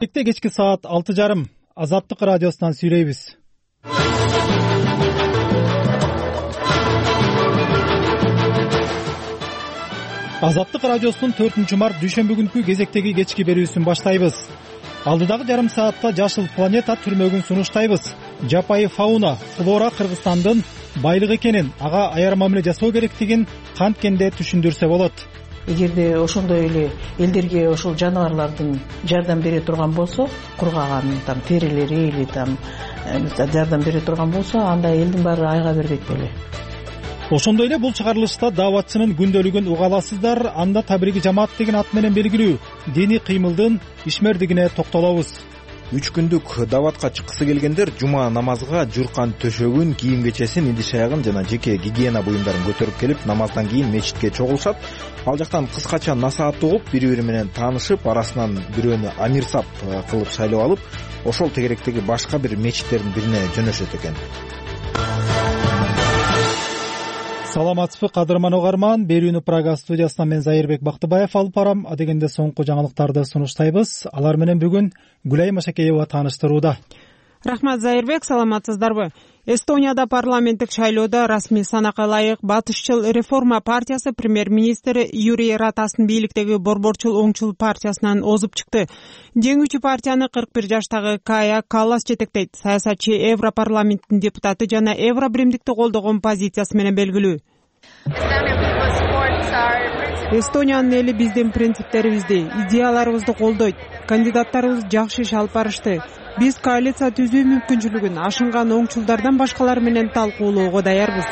Кечки саат 6:30 Азаттык радиосунан сүйлөйбүз. Азаттык радиосунун 4-март дүйшөмбү күнкү кезектеги кечки берүүсүн баштайбыз. Алдыдагы жарым саатта Жашыл планета түрмөгүн сунуштайбыз. Жапайы фауна, флора Кыргызстандын байлык экенин, ага аяр мамиле жасоо керектигин канткенде түшүндүрсө болот. Эгерде ошондой эле элдерге ошол жаныбарлардын жардам бере турган болсо, кургаган терилери или жардам бере турган болсо, анда элдин баары айга бербейт беле. Ошондой эле бул чыгарылышта дааватчынын күндөлүгүн уга аласыздар. Анда Табриги жамаат деген ат менен белгилүү диний кыймылдын ишмердигине токтолобуз. 3 күндүк дааватка чыккысы келгендер жума намазга журкан төшөгүн, кийим кечесин, идиш аягын жана жеке гигиена буюмдарын көтөрүп келип, намаздан кийин мечитке чогулушат. Ал жактан кыскача насаат угуп, бири-бири менен таанышып, арасынан бирөөнү амирсап кылып шайлап алып, ошол тегеректеги башка бир мечиттердин бирине жөнөшөт экен. Саламатсызбы кадырман угарман, берүүнү Прага студиясынан мен Зайырбек Бактыбаев алып барам. Адегенде соңку жаңылыктарды сунуштайбыз. Алар менен бүгүн Гүлай Машакеева тааныштырууда. Рахмат Зайырбек, саламатсыздарбы? Эстонияда парламенттик шайлоодо расмий санакка ылайык Батышчыл реформа партиясы премьер-министр Юрий Ратастын бийликтеги Борборчул оңчул партиясынан озуп чыкты. Жеңүүчү партияны 41 жаштагы Кая Каллас жетектейт. Саясатчы Европарламенттин депутаты жана Евробиримдикти колдогон позициясы менен белгилүү. Эстониянын эли биздин принциптерибизди, идеяларыбызды колдойт. Кандидаттарыбыз жакшы иш алып барышты. Биз коалиция түзүү мүмкүнчүлүгүн ашынган оңчулдардан башкалар менен талкуулоого даярбыз.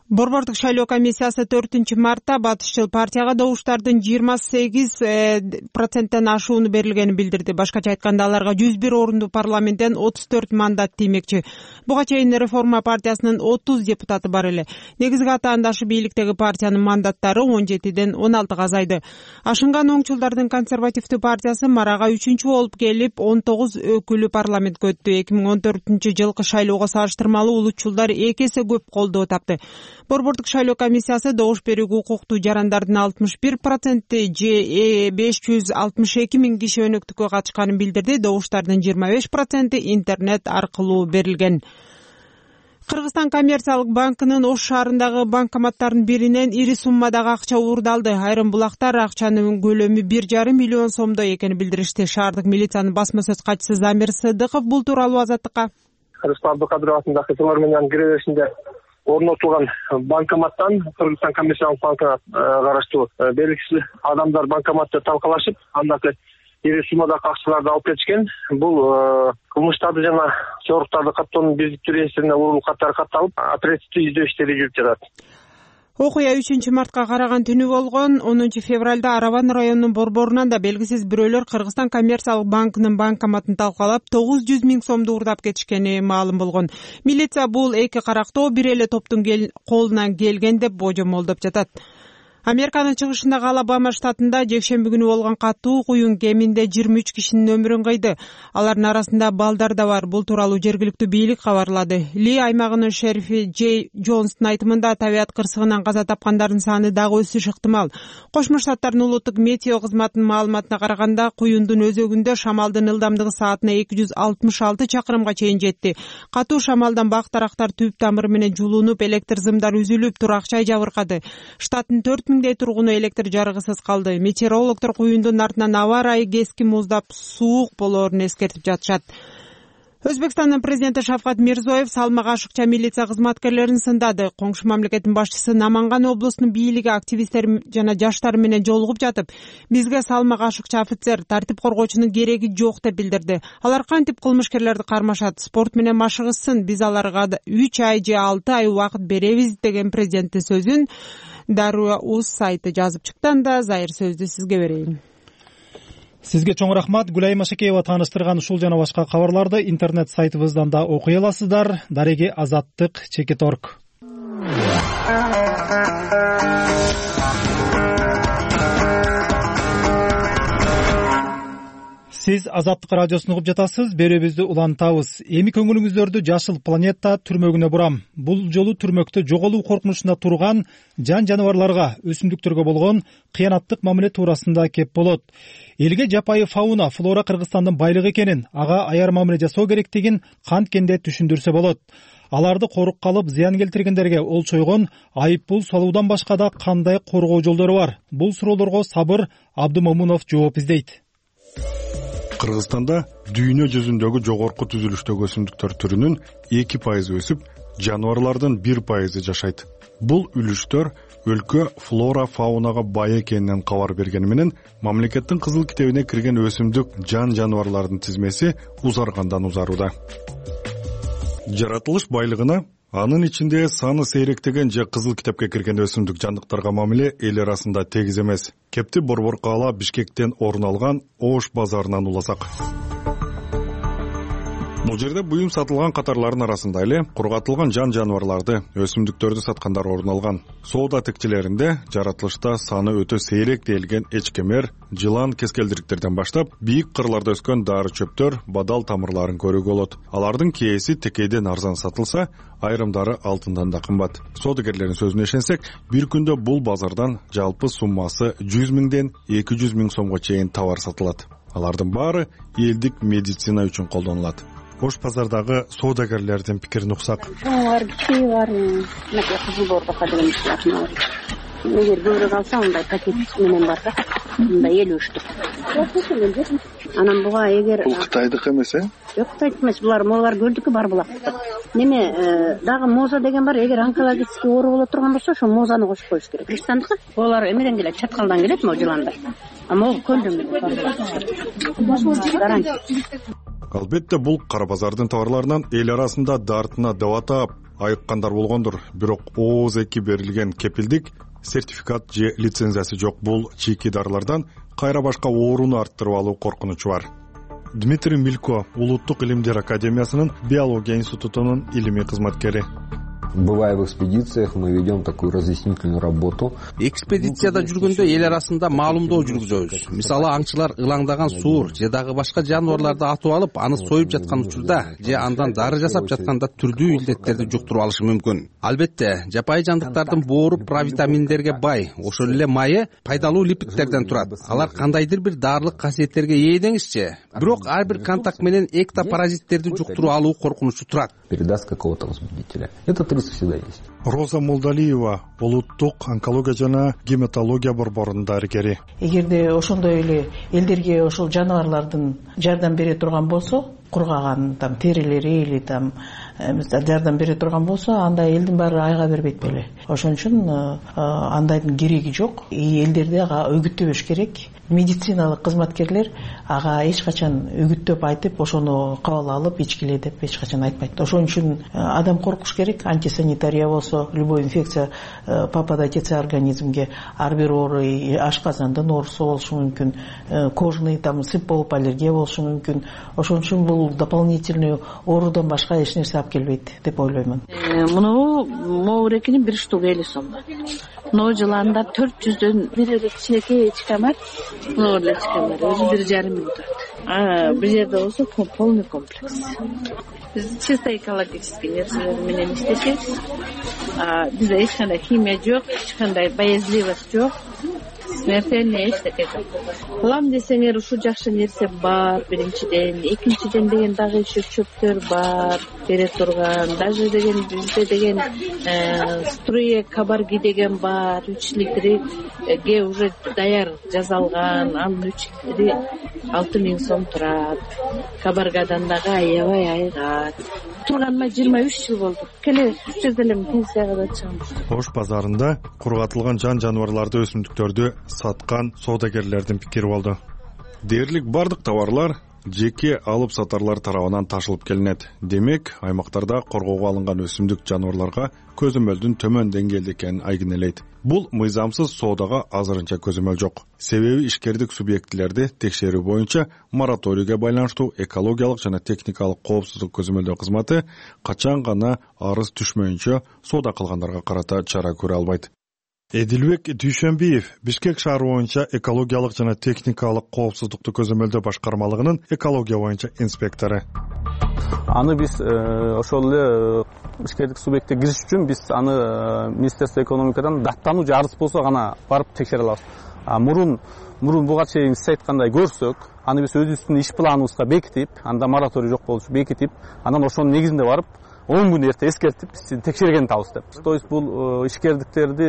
Борбордук шайлоо комиссиясы 4-мартта Батышчыл партияга добуштардын 28%тен ашууну берилгенин билдирди. Башкача айтканда, аларга 101 орунду парламенттен 34 мандат тиймекчи. Буга чейин реформа партиясынын 30 депутаты бар эле. Негизги атаандашы бийликтеги партиянын мандаттары 17ден 16га азайды. Ашынган оңчулдардын консервативдүү партиясы марага 3-чү болуп келип 19 өкүлү парламентке өттү. 2014-жылкы шайлоого салыштырмалуу улутчулдар 2 эсе көп колдоо тапты. Борбордук шайлоо комиссиясы добуш берүүгө укуктуу жарандардын 61% же 562 миң киши өнөктүккө катышканын билдирди. Добуштардын 25% интернет аркылуу берилген. Кыргызстан коммерциялык банкынын Ош шаарындагы банкоматтардын биринен ири суммадагы акча уурдалды. Айрым булактар акчанын көлөмү 1,5 миллион сомдой экенин билдиришти. Шаардык милициянын басма сөз катчысы Замир Сыдыков бул тууралуу Азаттыкка. Рустам Абдукадыров атындагы филармониянын киреберишинде орнотулган банкоматтан Кыргызстан коммерциялык банкына караштуу белгисиз адамдар банкоматты талкалашып, анда ири суммадагы акчаларды алып кетишкен. Бул кылмыштарды жана чоруктарды каттоонун биздиктүү реестрине урулуп катары катталып, оперативдүү издөө иштери жүрүп жатат. Окуя 3-мартка караган түнү болгон. 10 февралда Араван районунун борборунан да белгисиз бирөөлөр Кыргызстан коммерциялык банкынын банкоматын талкалап 900 миң сомду уурдап кетишкени маалым болгон. Милиция бул эки карактоо бир эле топтун колунан келген деп божомолдоп жатат. Американын чыгышындагы Алабама штатында жекшемби күнү болгон катуу куюн кеминде 23 кишинин өмүрүн кыйды. Алардын арасында балдар да бар. Бул тууралуу жергиликтүү бийлик кабарлады. Ли аймагынын шерифи Джей Джонстун айтымында табият кырсыгынан каза тапкандардын саны дагы өсүшү ыктымал. Кошмо Штаттардын улуттук метео кызматынын маалыматына караганда, куюндун өзөгүндө шамалдын ылдамдыгы саатына 266 чакырымга чейин жетти. Катуу шамалдан бак тарактар түп тамыры менен жулунуп, электр зымдар үзүлүп, турак жай жабыркады. Штаттын 4 миңдей тургуну электр жарыгысыз калды. Метеорологдор куюндун артынан аба ырайы кескин муздап, суук болоорун эскертип жатышат. Өзбекстандын президенти Шавкат Мирзиёев салмак ашыкча милиция кызматкерлерин сындады. Коңшу мамлекеттин башчысы Наманган облусунун бийлиги активисттер жана жаштар менен жолугуп жатып, бизге салмак ашыкча офицер, тартип коргоочунун кереги жок деп билдирди. Алар кантип кылмышкерлерди кармашат, спорт менен машыгышсын, биз аларга 3 ай же 6 ай убакыт беребиз деген президенттин сөзүн Даруа.uz сайты жазып чыкты. Анда Зайыр сөздү сизге берейин. Сизге чоң рахмат. Гүлай Машакеева тааныштырган ушул жана башка кабарларды интернет сайтыбыздан да окуй аласыздар. Дареги Азаттык.org. Сиз Азаттык радиосун угуп жатасыз. Берүүбүздү улантабыз. Эми көңүлүңүздөрдү Жашыл планета түрмөгүнө бурам. Бул жолу түрмөктө жоголуу коркунучунда турган жан жаныбарларга, өсүмдүктөргө болгон кыянаттык мамиле туурасында кеп болот. Элге жапайы фауна, флора Кыргызстандын байлыгы экенин, ага аяр мамиле жасоо керектигин канткенде түшүндүрсө болот. Аларды корукка алып, зыян келтиргендерге олчойгон айып пул салуудан башка да кандай коргоо жолдору бар? Бул суроолорго Сабыр Абдымомунов жооп издейт. Кыргызстанда дүйнө жүзүндөгү жогорку түзүлүштөгү өсүмдүктөр түрүнүн 2% өсүп, жаныбарлардын 1% жашайт. Бул үлүштөр өлкө флора фаунага бай экенинен кабар бергени менен мамлекеттин кызыл китебине кирген өсүмдүк жан жаныбарлардын тизмеси узаргандан узарууда. Жаратылыш байлыгына анын ичинде саны сейректеген же кызыл китепке кирген өсүмдүк жандыктарга мамиле эл арасында тегиз эмес. Кепти Борбор-Каала Бишкектен орун алган Ош базарынан уласак. Бул жерде буюм сатылган катарлардын арасында эле кургатылган жан жаныбарларды, өсүмдүктөрдү саткандар орун алган. Соода текчелеринде жаратылышта саны өтө сейрек делген эчкемер, жылан, кескелдириктерден баштап бийик кырларда өскөн дары чөптөр, бадал тамырларын көрүүгө болот. Алардын кээси текейден арзан сатылса, айрымдары алтындан да кымбат. Соодагерлердин сөзүнө ишенсек, бир күндө бул базардан жалпы суммасы 100 миңден 200 миң сомго чейин товар сатылат. Алардын баары элдик медицина үчүн колдонулат. Ош базардагы соодагерлердин пикирин уксак. Чоңар, кичи бар, мына кызыл борбока деген машина бар. Эгер көбүрөөк алса, мындай пакет менен барса, мындай 50 штук. Анан буга эгер Бул Кытайдык эмес, Жок, Кытайдык эмес, булар көлдүкү бар булактыкы. Неме, дагы моза деген бар, эгер онкологический оору боло турган болсо, ошо мозаны кошуп коюш керек. Кыргызстандыкы булар эмеден келет, чаткалдан келет, могу жыландар. А могу көлдөн келет. Албетте бул кара базардын товарларынан эл арасында дартына дабатап айыккандар болгондур. Бирок ооз эки берилген кепилдик, сертификат же лицензиясы жок бул чийки дарылардан кайра башка ооруну арттырып алуу коркунучу бар. Дмитрий Милько, Улуттук илимдер академиясынын биология институтунун илимий кызматкери. Бывая в экспедициях, мы ведем такую разъяснительную работу. Экспедицияда жүргөндө эл арасында маалымдоо жүргүзөбүз. Мисалы, аңчылар ылаңдаган суур же дагы башка жаныбарларды атып алып, аны союп жаткан учурда же андан дары жасап жатканда түрдүү илдеттерди жуктуруп алышы мүмкүн. Албетте, жапайы жандыктардын боору провитаминдерге бай, ошол эле майы пайдалуу липидтерден турат. Алар кандайдыр бир дарылык касиеттерге ээ деңизчи. Бирок ар бир контакт менен эктопаразиттерди жуктуруп алуу коркунучу турат. Передаст какого-то возбудителя. Этот риск всегда есть. Роза Молдалиева, Улуттук онкология жана гематология борборунун дарыгери. Эгерде ошондой эле элдерге ошол жаныбарлардын жардам бере турган болсо, кургаган терилери или жардам бере турган болсо, анда элдин баары айга бербейт беле. Ошон үчүн андайдын кереги жок. Элдерди ага өгүттөбөш керек. Медициналык кызматкерлер ага эч качан өгүттөп айтып, ошону кабыл алып ичкиле деп эч качан айтпайт. Ошон үчүн адам коркуш керек. Антисанитария болсо, любой инфекция попадать этсе организмге, ар бир оору ашказандын оорусу болушу мүмкүн, кожный сып болуп аллергия болушу мүмкүн. Ошон үчүн бул дополнительный оорудан башка эч нерсе алып келбейт деп ойлоймун. Муну моурекинин 1 штугу 50 сом. Мына жыланда 400дөн бир кичинекей эчке бар. Мына эле эчке бар. Өзү 1,5 миң турат. Бир жерде болсо полный комплекс. Биз чисто экологический нерселер менен иштешебиз. Бизде эч кандай химия жок, эч кандай боязливость жок. Смертельный эчтеке жок. Кылам десеңер, ушу жакшы нерсе бар биринчиден, экинчиден деген дагы еще чөптөр бар бере турган. Даже деген бизде деген струя кабарги деген бар, 3 литрге уже даяр жазалган, анын 3 литри 6 миң сом турат. Кабаргадан дагы аябай айгат. Турганыма 23 жыл болду. Келе уш жерде эле пенсияга да чыгам. Ош базарында кургатылган жан жаныбарларды, өсүмдүктөрдү саткан соодагерлердин пикири болду. Дээрлик бардык товарлар жеке алып сатарлар тарабынан ташылып келинет. Демек, аймактарда коргоого алынган өсүмдүк жаныбарларга көзөмөлдүн төмөн деңгээлде экенин айгинелейт. Бул мыйзамсыз соодага азырынча көзөмөл жок. Себеби ишкердик субъектилерди текшерүү боюнча мораторийге байланыштуу экологиялык жана техникалык коопсуздук көзөмөлдөө кызматы качан гана арыз түшмөйүнчө соода кылгандарга карата чара көрө албайт. Эдилбек Дүйшөнбиев Бишкек шаары боюнча экологиялык жана техникалык коопсуздукту көзөмөлдөө башкармалыгынын экология боюнча инспектору. Аны биз ошол эле ишкерлик субъектке кириш үчүн биз аны Министерство экономикадан даттануу же арыз болсо гана барып текшере алабыз. Мурун буга чейин сиз айткандай көрсөк, аны биз өзүбүздүн иш планыбызга бекитип, анда мораторий жок болушу бекитип, анан ошонун негизинде барып 10 күн эрте эскертип текшерген табыз деп. То есть бул ишкердиктерди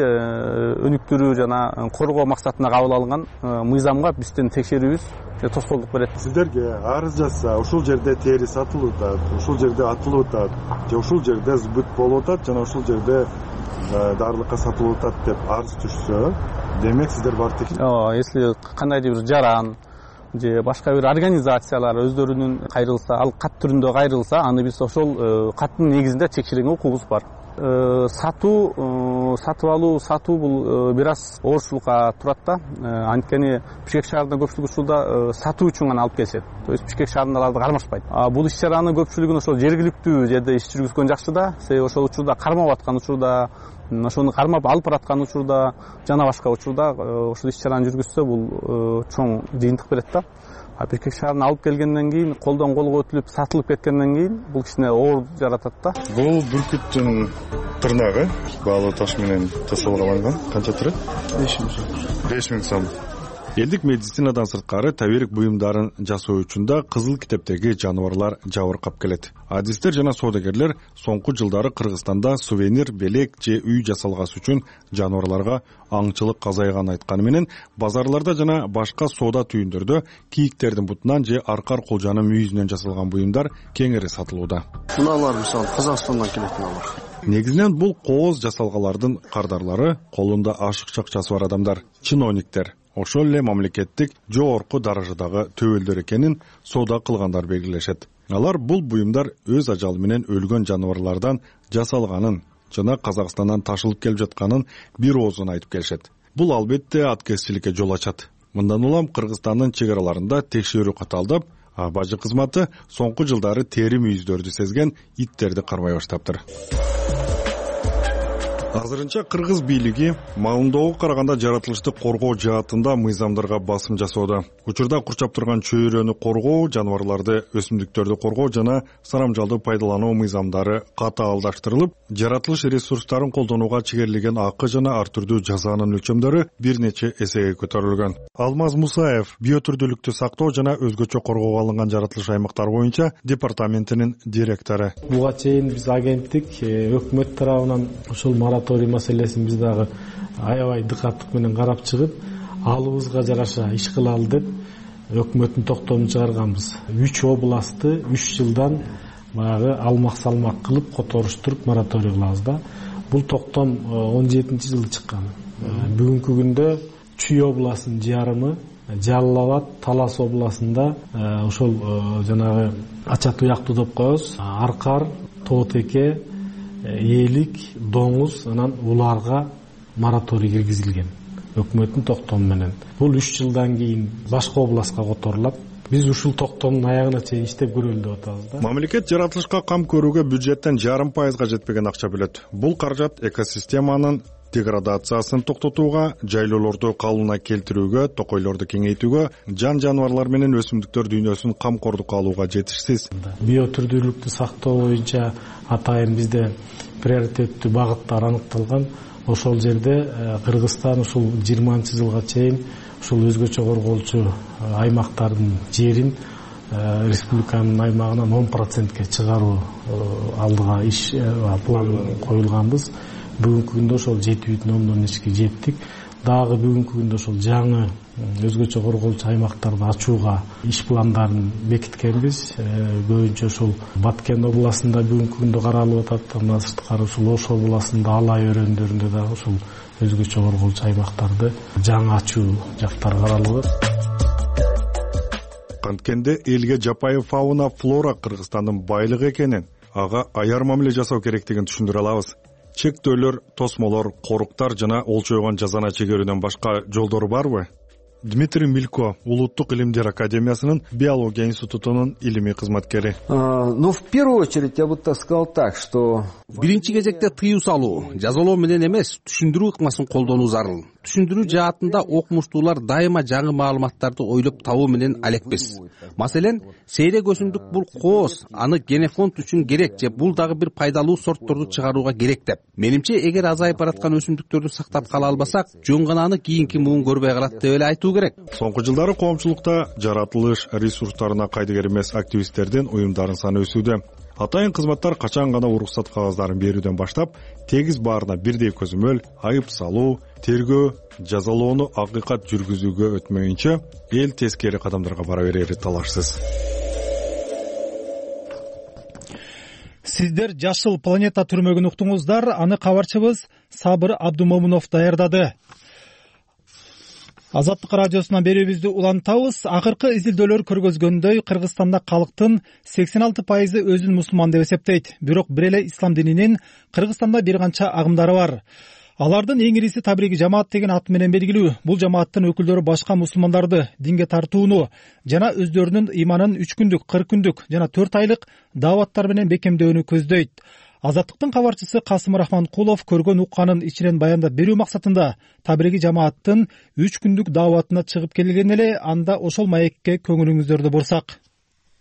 өнүктүрүү жана коргоо максатына кабыл алынган мыйзамга биздин текшерүүбүз тоскоолдук берет. Сиздерге арыз жазса, ушул жерде тери сатылып атат, ушул жерде атылып атат, же ушул жерде збыт болуп атат жана ушул жерде дарылыкка сатылып атат деп арыз түшсө, демек сиздер барып текшерет. Если кандайдыр бир жаран же башка бир организациялар өздөрүнүн кайрылса, ал кат түрүндө кайрылса, аны биз ошол каттын негизинде текшерүүгө укугубуз бар. Сатып алуу бул бир аз оорчулукка турат да. Анткени Бишкек шаарында көпчүлүк учурда сатуу үчүн гана алып келишет. То есть Бишкек шаарында аларды кармашпайт. Бул иш чаранын көпчүлүгүн ошол жергиликтүү жерде иш жүргүзгөн жакшы да. Себеби ошол учурда кармап аткан учурда, ошону кармап алып бараткан учурда жана башка учурда ошол иш чараны жүргүзсө бул чоң жыйынтык берет да. Бишкек шаарына алып келгенден кийин, колдон колго өтүлүп сатылып кеткенден кийин бул кичине оор жаратат да. Бул бүркүттүн тырнагы баалуу таш менен жасалган. Канча турат? 5000 сом. Элдик медицинадан сырткары табирик буюмдарын жасоо үчүн да кызыл китептеги жаныбарлар жабыркап келет. Адистер жана соодагерлер соңку жылдары Кыргызстанда сувенир, белек же үй жасалгас үчүн жаныбарларга аңчылык азайганын айтканы менен, базарларда жана башка соода түйүндөрдө кийиктердин бутунан же аркар кулжанын мүйүзүнөн жасалган буюмдар кеңири сатылууда. Муналар мисалы Казакстандан келет муналар. Негизинен бул кооз жасалгалардын кардарлары, колунда ашык акчасы бар адамдар, чиновниктер, ошол эле мамлекеттик жогорку даражадагы төбөлдөр экенин соода кылгандар белгилешет. Алар бул буюмдар өз ажалы менен өлгөн жаныбарлардан жасалганын жана Казакстандан ташылып келип жатканын бир оозун айтып келишет. Бул албетте аткезчиликке жол ачат. Мындан улам Кыргызстандын чек араларында текшерүү каталдап, бажы кызматы соңку жылдары тери мүйүздөрдү сезген иттерди кармай баштаптыр. Азырынча Кыргыз бийлиги маалымдоого караганда жаратылышты коргоо жаатында мыйзамдарга басым жасоодо. Учурда курчап турган чөйрөнү коргоо, жаныбарларды, өсүмдүктөрдү коргоо жана сарамжалды пайдалануу мыйзамдары катаалдаштырылып, жаратылыш ресурстарын колдонууга чегерилген акы жана ар түрдүү жазанын өлчөмдөрү бир нече эсеге көтөрүлгөн. Алмаз Мусаев биотүрдүүлүктү сактоо жана өзгөчө коргоого алынган жаратылыш аймактары боюнча департаментинин директору. Буга чейин биз агенттик өкмөт тарабынан ушул мораторий маселесин биз дагы аябай дыкаттык менен карап чыгып, алыбызга жараша иш кылалы деп өкмөттүн токтомун чыгарганбыз. 3 областты 3 жылдан баягы алмак-салмак кылып которуштуруп мораторий кылабыз да. Бул токтом 17-жылы чыккан. Бүгүнкү күндө Чүй областынын жарымы, Жалал Абад, Талас областында ошол жанагы ача туяктуу деп коебуз, аркар, тоотеке, ээлик, доңуз, анан уларга мораторий киргизилген өкмөттүн токтому менен. Бул 3 жылдан кийин башка областка которулат. Биз ушул токтомдун аягына чейин иштеп көрөлү деп атабыз да. Мамлекет жаратылышка кам көрүүгө бюджеттен 0,5% жетпеген акча бөлөт. Бул каражат экосистеманын деградациясын токтотууга, жайлоолорду калыбына келтирүүгө, токойлорду кеңейтүүгө, жан-жаныбарлар менен өсүмдүктөр дүйнөсүн камкордукка алууга жетишсиз. Биотүрдүүлүктү сактоо боюнча атайын бизде приоритеттүү багыттар аныкталган. Ошол жерде Кыргызстан ушул 20-жылга чейин ушул өзгөчө корголчу аймактардын жерин республиканын аймагынан 10%ке чыгаруу алдыга иш план коюлганбыз. Бүгүнкү күндө ошол 7,2 жеттик. Дагы бүгүнкү күндө ошол жаңы өзгөчө корголчу аймактарды ачууга иш пландарын бекиткенбиз. Көбүнчө ошол Баткен областында бүгүнкү күндө каралып атат. Андан сырткары ошол Ош областында Алай өрөөндөрүндө дагы ошол өзгөчө корголчу аймактарды жаңы ачуу жактары каралып атат. Канткенде элге жапайы фауна флора Кыргызстандын байлыгы экенин, ага аяр мамиле жасоо керектигин түшүндүрө алабыз. Чектөөлөр, тосмолор, коруктар жана олчойгон жазана чегерүүдөн башка жолдору барбы? Дмитрий Милько, Улуттук илимдер академиясынын биология институтунун илимий кызматкери. Но в первую очередь я бы сказал так, что биринчи кезекте тыюу салуу, жазалоо менен эмес, түшүндүрүү ыкмасын колдонуу зарыл. Түшүндүрүү жаатында окумуштуулар дайыма жаңы маалыматтарды ойлоп табуу менен алекпиз. Маселен, сейрек өсүмдүк бул кооз, аны генофонд үчүн керек же бул дагы бир пайдалуу сортторду чыгарууга керек деп. Менимче, эгер азайып бараткан өсүмдүктөрдү сактап кала албасак, жөн гана аны кийинки муун көрбөй калат деп эле айтуу керек. Соңку жылдары коомчулукта жаратылыш ресурстарына кайдыгер эмес активисттердин уюмдарын саны өсүүдө. Атайын кызматтар качан гана уруксат кагаздарын берүүдөн баштап, тегиз баарына бирдей көзөмөл, айып салуу, тергөө, жазалоону акыйкат жүргүзүүгө өтмөйүнчө эл тескери кадамдарга бара берери талашсыз. Сиздер Жашыл планета түрмөгүн уктуңуздар. Аны кабарчыбыз Сабыр Абдумомунов даярдады. Азаттык радиосунан берүүбүздү улантабыз. Акыркы изилдөөлөр көргөзгөндөй, Кыргызстанда калктын 86% өзүн мусулман деп эсептейт. Бирок бир эле ислам дининин Кыргызстанда бир канча агымдары бар. Алардын эң ириси Табриги жамаат деген ат менен белгилүү. Бул жамааттын өкүлдөрү башка мусулмандарды динге тартууну жана өздөрүнүн ыйманын 3 күндүк, 40 күндүк жана 4 айлык дааваттар менен бекемдөөнү көздөйт. Азаттыктын кабарчысы Касым Рахманкулов көргөн укканын ичинен баяндап берүү максатында Табриги жамааттын 3 күндүк дааватына чыгып келген эле. Анда ошол маекке көңүлүңүздөрдү бурсак.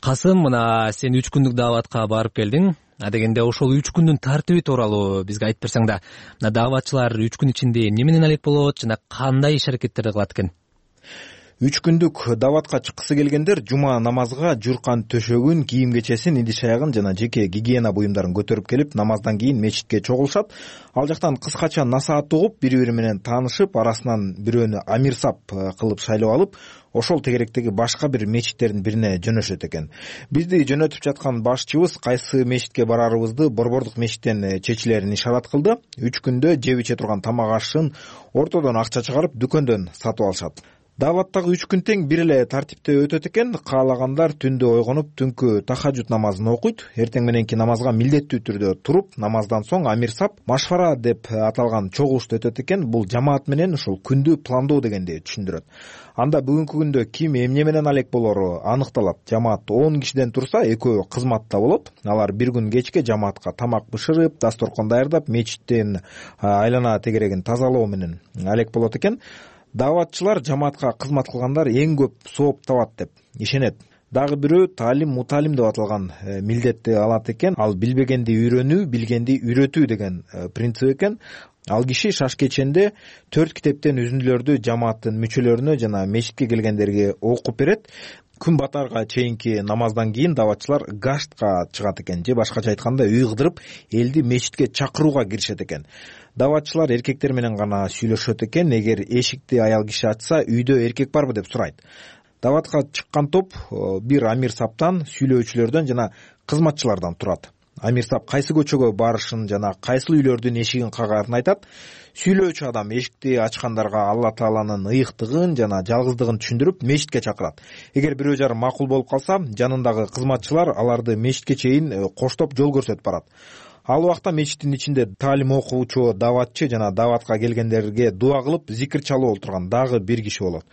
Касым, мына сен 3 күндүк дааватка барып келдиң. Дегенде ошол 3 күндүн тартиби тууралуу бизге айтып берсең да. Дааватчылар 3 күн ичинде эмне менен алек болот жана кандай иш-аракеттерди кылат экен? 3 күндүк дааватка чыккысы келгендер жума намазга журкан төшөгүн, кийим кечесин, идиш аягын жана жеке гигиена буюмдарын көтөрүп келип, намаздан кийин мечитке чогулушат. Ал жактан кыскача насаат угуп, бири-бири менен таанышып, арасынан бирөөнү амирсап кылып шайлап алып, ошол тегеректеги башка бир мечиттердин бирине жөнөшөт экен. Бизди жөнөтүп жаткан башчыбыз кайсы мечитке барарыбызды Борбордук мечиттен чечилерин ишарат кылды. 3 күндө жеп иче турган тамак ашын ортодон акча чыгарып дүкөндөн сатып алышат. Дааваттагы 3 күн тең бир эле тартипте өтөт экен. Каалагандар түндө ойгонуп, түнкү тахажжуд намазын окуйт. Эртең мененки намазга милдеттүү түрдө туруп, намаздан соң амирсап, машфара деп аталган чогулушту өтөт экен. Бул жамаат менен ушул күндү пландоо дегенди түшүндүрөт. Анда бүгүнкү күндө ким эмне менен алек болору аныкталат. Жамаат 10 кишиден турса, экөө кызматта болот. Алар бир күн кечке жамаатка тамак бышырып, дасторкон даярдап, мечиттин айлана тегерегин тазалоо менен алек болот экен. Дааватчылар жамаатка кызмат кылгандар эң көп сооп табат деп ишенет. Дагы бирөө таалим, муталим деп аталган милдетти алат экен. Ал билбегенди үйрөнүү, билгенди үйрөтүү деген принцип экен. Ал киши шаш кеченде 4 китептен үзүндүлөрдү жамааттын мүчөлөрүнө жана мечитке келгендерге окуп берет. Күн батарга чейинки намаздан кийин дааватчылар гаштка чыгат экен, же башкача айтканда үй кыдырып, элди мечитке чакырууга киришет экен. Дааватчылар эркектер менен гана сүйлөшөт экен. Эгер эшикти аял киши ачса, үйдө эркек барбы деп сурайт. Дааватка чыккан топ бир амирсаптан, сүйлөөчүлөрдөн жана кызматчылардан турат. Амирсап кайсы көчөгө барышын жана кайсыл үйлөрдүн эшигин кагаарын айтат. Сүйлөөчү адам эшикти ачкандарга Алла Тааланын ыйыктыгын жана жалгыздыгын түшүндүрүп, мечитке чакырат. Эгер бирөө жарым макул болуп калса, жанындагы кызматчылар аларды мечитке чейин коштоп жол көрсөтүп барат. Ал убакта мечиттин ичинде таалим окуучу дааватчы жана дааватка келгендерге дуа кылып, зикир чалып отурган дагы бир киши болот.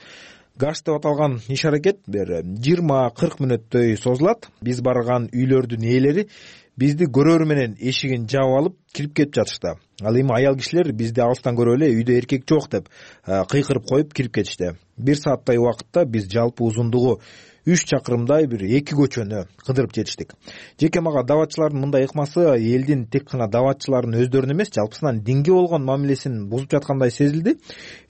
Гаш деп аталган иш-аракет бир 20-40 мүнөттөй созулат. Биз барган үйлөрдүн ээлери бизди көрөрү менен эшигин жаап алып кирип кетип жатышты. Ал эми аял кишилер бизди алыстан көрүп эле үйдө эркек жок деп кыйкырып коюп кирип кетишти. 1 сааттай убакытта биз жалпы узундугу 3 чакырымдай бир 2 көчөнү кыдырып жетиштик. Жеке мага дааватчылардын мындай ыкмасы элдин тек гана дааватчылардын өздөрүнүн эмес, жалпысынан динге болгон мамилесин бузуп жаткандай сезилди.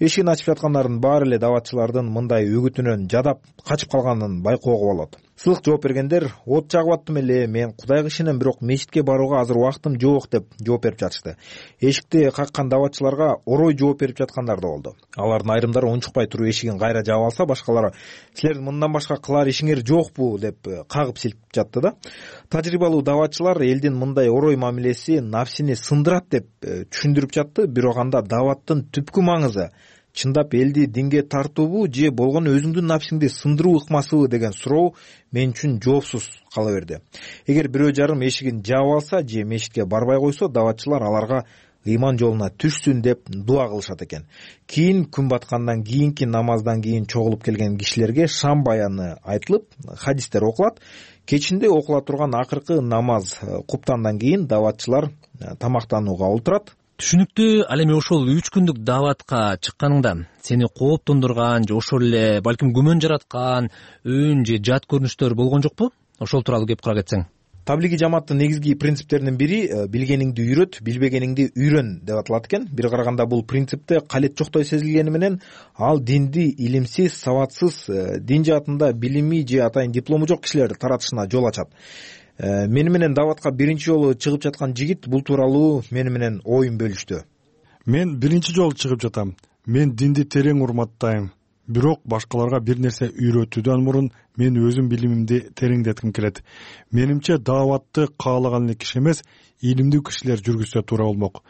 Эшигин ачып жаткандардын баары эле дааватчылардын мындай үгүтүнөн жадап качып калганын байкоого болот. Сылык жооп бергендер: "От жагып аттым эле, мен Кудайга ишенем, бирок мечитке барууга азыр убактым жок" деп жооп берип жатышты. Эшикти каккан дааватчыларга орой жооп берип жаткандар да болду. Алардын айрымдары унчукпай туруп эшигин кайра жаап алса, башкалары: "Силердин мындан башка кылар ишиңер жокпу" деп кагып силкип жатты да. Тажрыйбалуу дааватчылар элдин мындай орой мамилеси нафсини сындырат деп түшүндүрүп жатты. Бирок анда дааваттын түпкү маңызы чындап элди динге тартуубу же болгону өзүңдүн нафсиңди сындыруу ыкмасыбы деген суроо мен үчүн жоопсуз кала берди. Эгер бирөө жарым эшигин жаап алса же мечитке барбай койсо, дааватчылар аларга ыйман жолуна түшсүн деп дуа кылышат экен. Кийин күн баткандан кийинки намаздан кийин чогулуп келген кишилерге шам баяны айтылып, хадистер окулат. Кечинде окула турган акыркы намаз куптандан кийин дааватчылар тамактанууга олтурат. Түшүнүктүү. Ал эми ошол 3 күндүк дааватка чыкканыңда сени кооптондурган же ошол эле балким күмөн жараткан үн же жат көрүнүштөр болгон жокпу? Ошол тууралуу кеп кура кетсең. Таблиги жамааттын негизги принциптеринин бири билгениңди үйрөт, билбегениңди үйрөн деп аталат экен. Бир караганда бул принципте калет жоктой сезилгени менен ал динди илимсиз, сабатсыз, дин жаатында билими же атайын диплому жок кишилер таратышына жол ачат. Мени менен дааватка биринчи жолу чыгып жаткан жигит бул тууралуу мени менен оюн бөлүштү. Мен биринчи жолу чыгып жатам. Мен динди терең урматтайм. Бирок башкаларга бир нерсе үйрөтүүдөн мурун мен өзүм билимимди тереңдетким келет. Менимче дааватты каалаган эле киши эмес, илимдүү кишилер жүргүзсө туура болмок.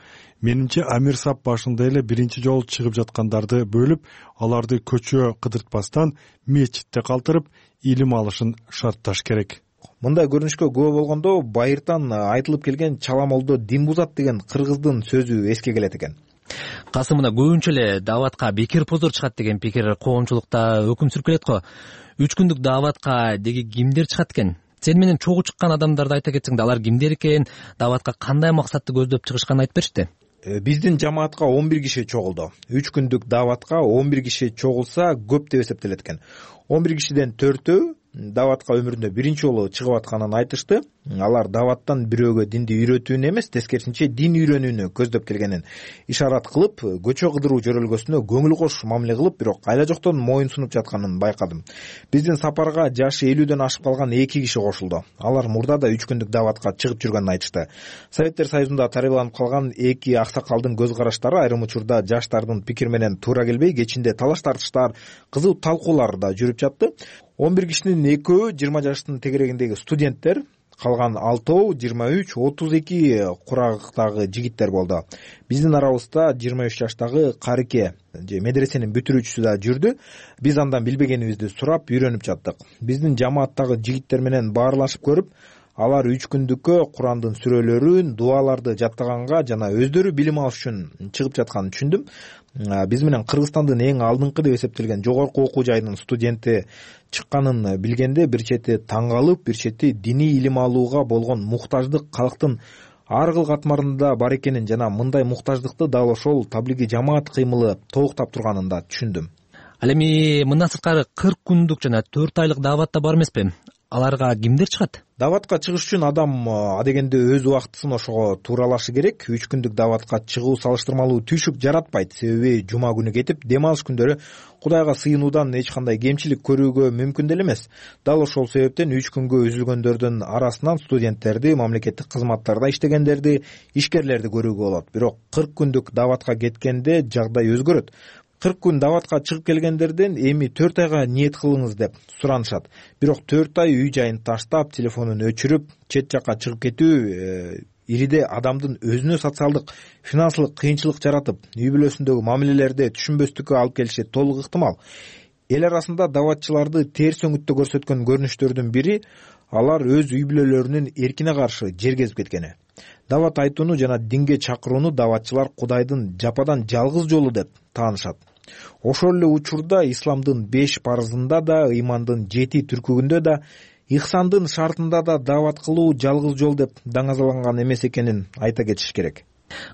Менимче Амир Сап башында эле биринчи жолу чыгып жаткандарды бөлүп, аларды көчө кыдыртпастан мечитте калтырып, илим алышын шартташ керек. Мындай көрүнүшкө күбө болгондо байыртан айтылып келген чаламолдо дин бузат деген кыргыздын сөзү эске келет экен. Касым, мына көбүнчө эле дааватка бекер позор чыгат деген пикир коомчулукта өкүм сүркөлөт го. 3 күндүк дааватка деги кимдер чыгат экен? Сен менен чогуу чыккан адамдарды айта кетсең да, алар кимдер экен, дааватка кандай максатты көздөп чыгышканын айтып беришти. Биздин жамаатка 11 киши чогулду. 3 күндүк дааватка 11 киши чогулса көп деп эсептелет экен. 11 кишиден 4-өө дааватка өмүрүндө биринчи жолу чыгып атканын айтышты. Алар дааваттан бирөөгө динди үйрөтүүнү эмес, тескерисинче дин үйрөнүүнү көздөп келгенин ишарат кылып, көчө кыдыруу жөрөлгөсүнө көңүл кош мамиле кылып, бирок айла жоктон моюн сунуп жатканын байкадым. Биздин сапарга жашы 50дөн ашып калган 2 киши кошулду. Алар мурда да 3 күндүк дааватка чыгып жүргөнүн айтышты. Советтер Союзунда тарыяланып калган 2 аксакалдын көз караштары айрым учурда жаштардын пикир менен туура келбей, кечинде талаш тартыштар, кызуу талкуулар да жүрүп жатты. 11 кишинин 2-өө 20 жаштын тегерегиндеги студенттер, калган 6-оо 23, 32 курагыктагы жигиттер болду. Биздин арабызда 23 жаштагы карыке же медресенин бүтүрүүчүсү да жүрдү. Биз андан билбегенибизди сурап, үйрөнүп жаттык. Биздин жамааттагы жигиттер менен баарлашып көрүп, алар 3 күндүккө Курандын сүрөлөрүн, дуаларды жаттаганга жана өздөрү билим алыш үчүн чыгып жатканын түшүндүм. Биз менен Кыргызстандын эң алдыңкы деп эсептелген жогорку окуу жайынын студенти чыкканын билгенде бир чети таң калып, бир чети диний илим алууга болгон муктаждык калктын ар кыл катмарында бар экенин жана мындай муктаждыкты дал ошол таблиги жамаат кыймылы толуктап турганын да түшүндүм. Ал эми мындан сырткары 40 күндүк жана 4 айлык дааватта бар эмеспи? Аларга кимдер чыгат? Дааватка чыгыш үчүн адам адегенде өз убактысын ошого тууралашы керек. 3 күндүк дааватка чыгуу салыштырмалуу түйшүк жаратпайт. Себеби жума күнү кетип, дем алыш күндөрү Кудайга сыйынуудан эч кандай кемчилик көрүүгө мүмкүн деле эмес. Дал ошол себептен 3 күнгө үзүлгөндөрдүн арасынан студенттерди, мамлекеттик кызматтарда иштегендерди, ишкерлерди көрүүгө болот. Бирок 40 күндүк дааватка кеткенде жагдай өзгөрөт. 40 күн дааватка чыгып келгендерден эми 4 айга ниет кылыңыз деп суранышат. Бирок 4 ай үй жайын таштап, телефонун өчүрүп, чет жакка чыгып кетүү ириде адамдын өзүнө социалдык, финансылык кыйынчылык жаратып, үй бүлөсүндөгү мамилелерди түшүнбөстүккө алып келиши толук ыктымал. Эл арасында дааватчыларды терс өңүттө көрсөткөн көрүнүштөрдүн бири алар өз үй бүлөлөрүнүн эркине каршы жер кезип кеткени. Даават айтууну жана динге чакырууну дааватчылар Кудайдын жападан жалгыз жолу деп таанышат. Ошол эле учурда исламдын 5 парызында да, ыймандын 7 түркүгүндө да, ихсандын шартында да даават кылуу жалгыз жол деп даңазаланган эмес экенин айта кетиш керек.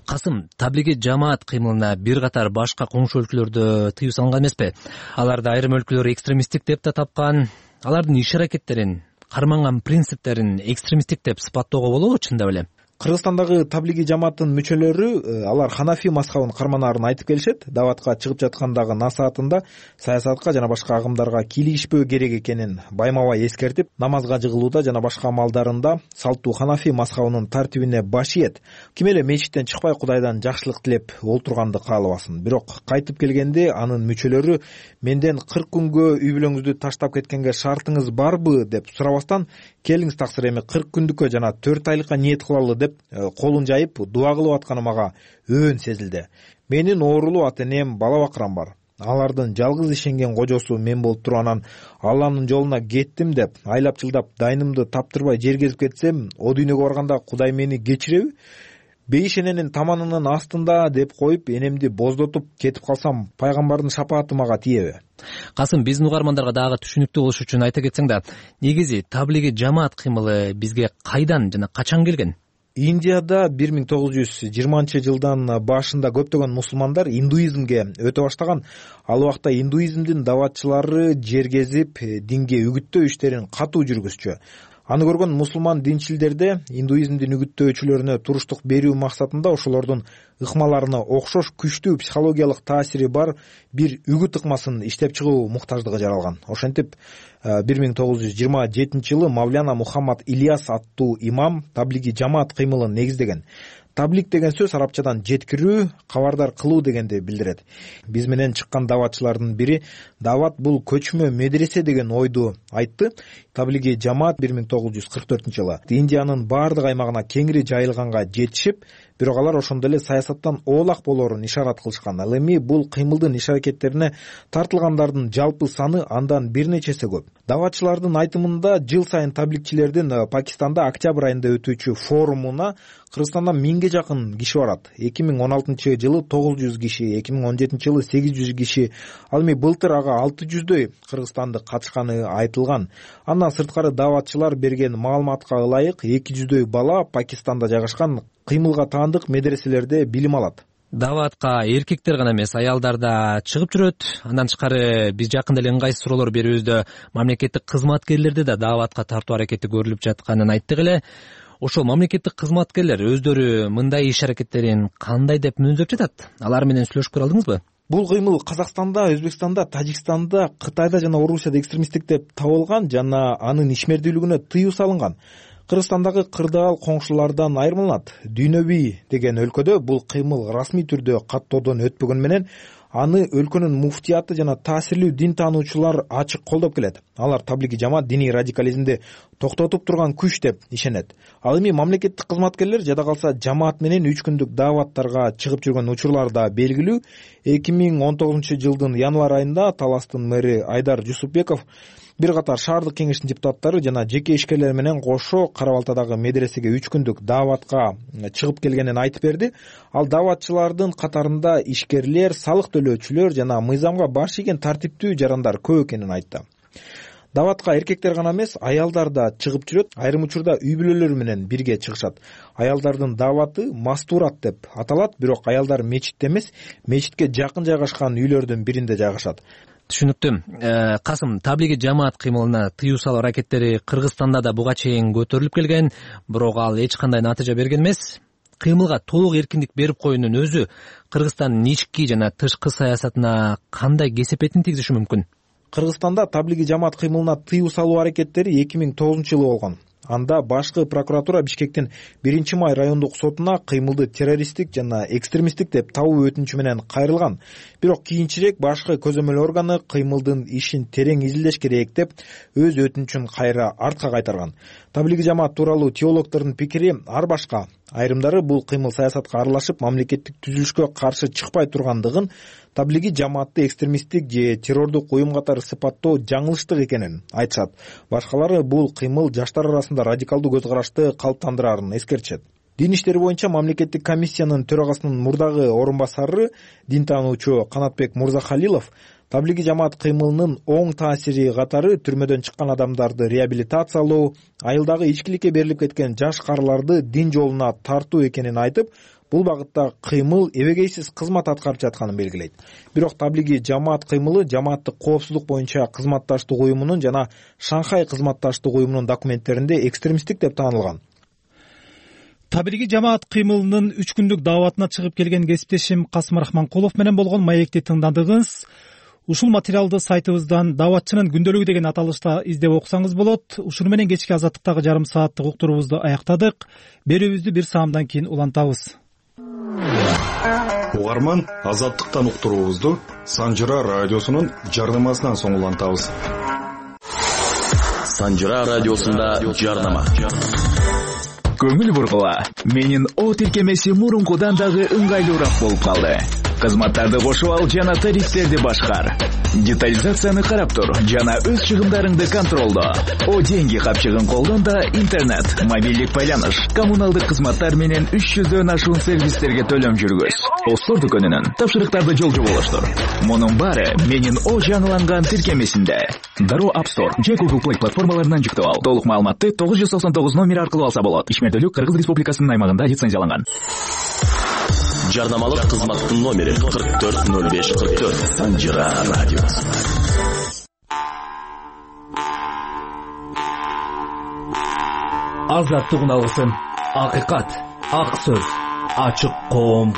Касым, таблиги жамаат кыймылына бир катар башка коңшу өлкөлөрдө тыюу салынган эмеспи? Аларды айрым өлкөлөр экстремисттик деп да тапкан. Алардын иш-аракеттерин, карманган принциптерин экстремисттик деп сыпаттоого болобу чындап эле? Кыргызстандагы таблиги жамааттын мүчөлөрү алар Ханафи мазхабын карманаарын айтып келишет. Дааватка чыгып жаткандагы насаатында саясатка жана башка агымдарга кийлигишпөө керек экенин байма-бай эскертип, намазга жыгылууда жана башка амалдарында салттуу Ханафи мазхабынын тартибине баш ийет. Ким эле мечиттен чыкпай Кудайдан жакшылык тилеп олтурганды каалабасын. Бирок кайтып келгенде анын мүчөлөрү менден 40 күнгө үй бүлөңүздү таштап кеткенге шартыңыз барбы деп сурабастан, келиңиз таксыр эми 40 күндүккө жана 4 айлыкка ниет кылалы деп колун жайып дуа кылып атканы мага өөн сезилди. Менин оорулуу ата-энем, бала-бакырам бар. Алардын жалгыз ишенген кожосу мен болуп туруп анан Алланын жолуна кеттим деп айлап жылдап дайнымды таптырбай жер кезип кетсем, о дүйнөгө барганда Кудай мени кечиреби? бейишененин таманынын астында деп коюп энемди боздотуп кетип калсам пайгамбардын шапааты мага тиеби? Касым, биздин угармандарга дагы түшүнүктүү болуш үчүн айта кетсең да, негизи таблиги жамаат кыймылы бизге кайдан жана качан келген? Индияда 1920-жылдан башында көптөгөн мусулмандар индуизмге өтө баштаган. Ал убакта индуизмдин даватчылары жер кезип, динге үгүттөө иштерин катуу жүргүзчү. Аны көргөн мусулман динчилдерде индуизмдин үгүттөөчүлөрүнө туруштук берүү максатында ошолордун ыкмаларына окшош күчтүү психологиялык таасири бар бир үгүт ыкмасын иштеп чыгуу муктаждыгы жаралган. Ошентип 1927-жылы Мавляна Мухаммад Ильяс аттуу имам таблиги жамаат кыймылын негиздеген. Таблик деген сөз арабчадан жеткирүү, кабардар кылуу дегенди билдирет. Биз менен чыккан даватчылардын бири дават бул көчмө медресе деген ойду айтты. Таблиги жамаат 1944-жылы Индиянын баардык аймагына кеңири жайылганга жетишип, бирок алар ошондо эле саясаттан оолак болоорун ишарат кылышкан. Ал эми бул кыймылдын иш-аракеттерине тартылгандардын жалпы саны андан бир нече эсе көп. Даватчылардын айтымында жыл сайын табликчилердин Пакистанда октябрь айында өтүүчү форумуна Кыргызстандан 1000ге жакын киши барат. 2016-жылы 900 киши, 2017-жылы 800 киши, ал эми былтыр ага 600дөй кыргызстандык катышканы айтылган. Андан сырткары даватчылар берген маалыматка ылайык 200дөй бала Пакистанда жайгашкан кыймылга таандык медреселерде билим алат. Даватка эркектер гана эмес, аялдар да чыгып жүрөт. Андан тышкары биз жакында эле ыңгайсыз суроолор берүүбүздө мамлекеттик кызматкерлерди да даватка тартуу аракети көрүлүп жатканын айттык эле. Ошол мамлекеттик кызматкерлер өздөрү мындай иш-аракеттерин кандай деп мүнөздөп жатат? Алар менен сүйлөшүп көрө алдыңызбы? Бул кыймыл Казакстанда, Өзбекстанда, Тажикстанда, Кытайда жана Орусияда экстремисттик деп табылган жана анын ишмердүүлүгүнө тыюу салынган. Кыргызстандагы кырдаал коңшулардан айырмаланат. Дүйнөбүй деген өлкөдө бул кыймыл расмий түрдө каттоодон өтпөгөн менен аны өлкөнүн муфтияты жана таасирлүү дин таануучулар ачык колдоп келет. Алар таблиги жамаат диний радикализмди токтотуп турган күч деп ишенет. Ал эми мамлекеттик кызматкерлер жада калса жамаат менен 3 күндүк даваттарга чыгып жүргөн учурлар да белгилүү. 2019-жылдын январь айында Таластын мэри Айдар Жусупбеков бир катар шаардык кеңештин депутаттары жана жеке ишкерлер менен кошо Кара Балтадагы медресеге 3 күндүк даватка чыгып келгенин айтып берди. Ал даватчылардын катарында ишкерлер, салык төлөөчүлөр жана мыйзамга баш ийген тартиптүү жарандар көп экенин айтты. Даватка эркектер гана эмес, аялдар да чыгып жүрөт. Айрым учурда үй бүлөлөр менен бирге чыгышат. Аялдардын даваты мастурат деп аталат, бирок аялдар мечитте эмес, мечитке жакын жайгашкан үйлөрдүн биринде жайгашат. Түшүнүктүү. Касым, таблиги жамаат кыймылына тыюу салуу аракеттери Кыргызстанда да буга чейин көтөрүлүп келген, бирок ал эч кандай натыйжа берген эмес. Кыймылга толук эркиндик берип коюунун өзү Кыргызстандын ички жана тышкы саясатына кандай кесепетин тийгизиши мүмкүн? Кыргызстанда таблиги жамаат кыймылына тыюу салуу аракеттери 2009-жылы болгон. Анда башкы прокуратура Бишкектин 1-май райондук сотуна кыймылды террористтик жана экстремисттик деп табуу өтүнүчү менен кайрылган. Бирок кийинчерээк башкы көзөмөл органы кыймылдын ишин терең изилдеш керек деп өз өтүнүчүн кайра артка кайтарган. Таблиги жамаат тууралуу теологдордун пикири ар башка. Айрымдары бул кыймыл саясатка аралашып, мамлекеттик түзүлүшкө каршы чыкпай тургандыгын, таблиги жамаатты экстремисттик же террордук уюм катары сыпаттоо жаңылыштык экенин айтышат. Башкалары бул кыймыл жаштар арасында радикалдуу көз карашты калыптандырарын эскертишет. Дин иштери боюнча мамлекеттик комиссиянын төрагасынын мурдагы орун басары, дин таануучу Канатбек Мурзахалилов таблиги жамаат кыймылынын оң таасири катары түрмөдөн чыккан адамдарды реабилитациялоо, айылдагы ичкиликке берилип кеткен жаш карыларды дин жолуна тартуу экенин айтып, бул багытта кыймыл эбегейсиз кызмат аткарып жатканын белгилейт. Бирок таблиги жамаат кыймылы жамааттык коопсуздук боюнча кызматташтык уюмунун жана Шанхай кызматташтык уюмунун документтеринде экстремисттик деп таанылган. Таблиги жамаат кыймылынын 3 күндүк даватына чыгып келген кесиптешим Касым Рахманкулов менен болгон маекти тыңдадыңыз. Ушул материалды сайтыбыздан даватчынын күндөлүгү деген аталышта издеп окусаңыз болот. Ушуну менен кечки азаттыктагы жарым сааттык уктуруубузду аяктадык. Берүүбүздү бир саамдан кийин улантабыз. Угарман, азаттыктан уктуруубузду Санжыра радиосунун жарнамасынан соң улантабыз. Санжыра радиосунда жарнама. Көңүл бургула. Менин о тиркемеси мурункудан дагы ыңгайлуураак болуп калды. Кызматтарды кошуп ал жана тарифтерди башкар. Детализацияны карап тур жана өз чыгымдарыңды контролдо. О деньги капчыгын колдон да интернет, мобилдик байланыш, коммуналдык кызматтар менен 300дөн ашуун сервистерге төлөм жүргүз. Остор дүкөнүнөн тапшырыктарды жолжо болуштур. Мунун баары менин О жаңыланган тиркемесинде. Дароо App Store же Google Play платформаларынан жүктөп ал. Толук маалыматты 999 номери аркылуу алса болот. Ишмердүүлүк Кыргыз Республикасынын аймагында лицензияланган. Жарнамалык кызматтын номери 440544 Санжира радиосу. Азаттык үналгысын, акыйкат, ак сөз, ачык коом.